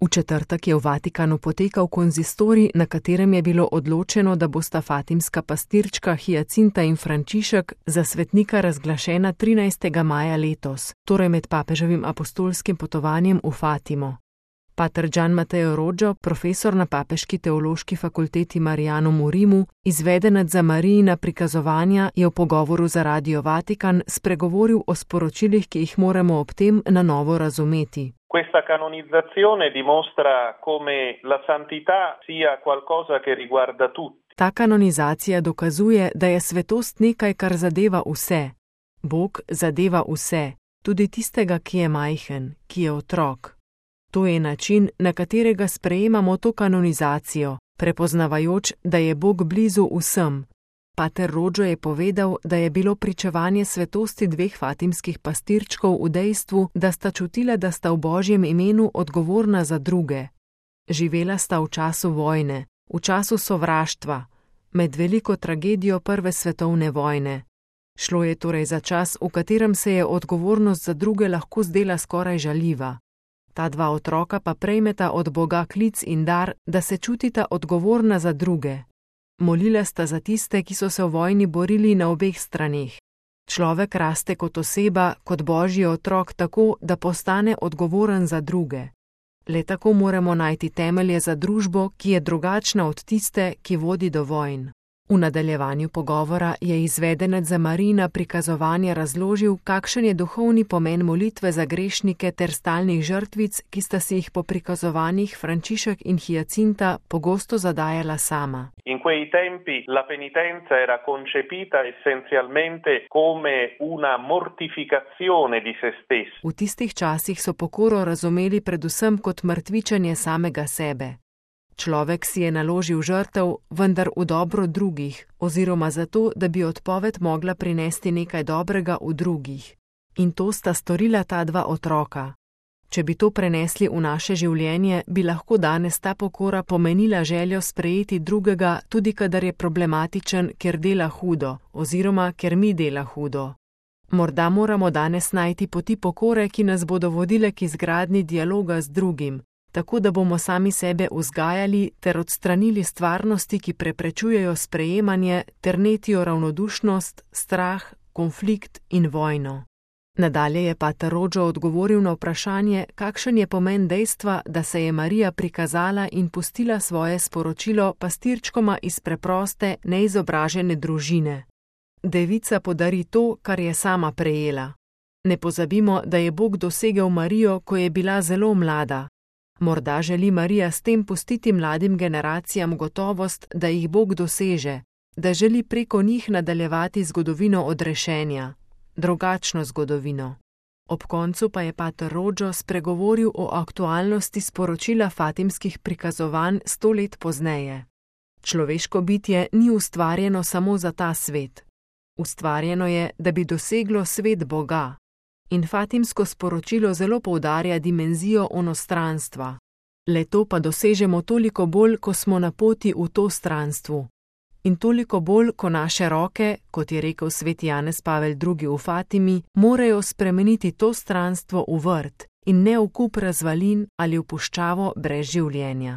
V četrtek je v Vatikanu potekal konzistorij, na katerem je bilo odločeno, da bosta fatimska pastirčka Hyacinta in Frančišek za svetnika razglašena 13. maja letos, torej med papeževim apostolskim potovanjem v Fatimo. Pater Gian Matteo Roggio, profesor na Papeški teološki fakulteti Marijanum v Rimu, izvedenec za Marijina prikazovanja, je v pogovoru za Radio Vatikan spregovoril o sporočilih, ki jih moramo ob tem na novo razumeti. Questa canonizzazione dimostra come la santità sia qualcosa che riguarda tutti. Ta kanonizacija dokazuje, da je svetost nekaj, kar zadeva vse. Bog zadeva vse, tudi tistega, ki je majhen, ki je otrok. To je način, na katerega sprejemamo to kanonizacijo, prepoznavajoč, da je Bog blizu vsem. Pater Roggio je povedal, da je bilo pričevanje svetosti dveh fatimskih pastirčkov v dejstvu, da sta čutila, da sta v Božjem imenu odgovorna za druge. Živela sta v času vojne, v času sovraštva, med veliko tragedijo prve svetovne vojne. Šlo je torej za čas, v katerem se je odgovornost za druge lahko zdela skoraj žaljiva. Ta dva otroka pa prejmeta od Boga klic in dar, da se čutita odgovorna za druge. Molila sta za tiste, ki so se v vojni borili na obeh straneh. Človek raste kot oseba, kot Božji otrok tako, da postane odgovoren za druge. Le tako moramo najti temelje za družbo, ki je drugačna od tiste, ki vodi do vojn. V nadaljevanju pogovora je izvedenec za Marijina prikazovanja razložil, kakšen je duhovni pomen molitve za grešnike ter stalnih žrtvic, ki sta si jih po prikazovanjih Frančišek in Hyacinta pogosto zadajala sama. In quei tempi la penitenza era concepita essenzialmente come una mortificazione di se stessi. V tistih časih so pokoro razumeli predvsem kot mrtvičenje samega sebe. Človek si je naložil žrtev, vendar v dobro drugih, oziroma zato, da bi odpoved mogla prinesti nekaj dobrega v drugih. In to sta storila ta dva otroka. Če bi to prenesli v naše življenje, bi lahko danes ta pokora pomenila željo sprejeti drugega, tudi kadar je problematičen, ker dela hudo, oziroma ker mi dela hudo. Morda moramo danes najti poti pokore, ki nas bodo vodile k izgradnji dialoga z drugim, tako da bomo sami sebe vzgajali ter odstranili stvarnosti, ki preprečujejo sprejemanje ter netijo ravnodušnost, strah, konflikt in vojno. Nadalje je pater Roggio odgovoril na vprašanje, kakšen je pomen dejstva, da se je Marija prikazala in pustila svoje sporočilo pastirčkoma iz preproste, neizobražene družine. Devica podari to, kar je sama prejela. Ne pozabimo, da je Bog dosegel Marijo, ko je bila zelo mlada. Morda želi Marija s tem pustiti mladim generacijam gotovost, da jih Bog doseže, da želi preko njih nadaljevati zgodovino odrešenja, drugačno zgodovino. Ob koncu pa je pater Roggio spregovoril o aktualnosti sporočila fatimskih prikazovanj 100 let pozneje. Človeško bitje ni ustvarjeno samo za ta svet. Ustvarjeno je, da bi doseglo svet Boga. In fatimsko sporočilo zelo poudarja dimenzijo onostranstva. Le to pa dosežemo toliko bolj, ko smo na poti v to stranstvu. In toliko bolj, ko naše roke, kot je rekel sveti Janez Pavel II v Fatimi, morajo spremeniti to stranstvo v vrt in ne v kup razvalin ali v puščavo brez življenja.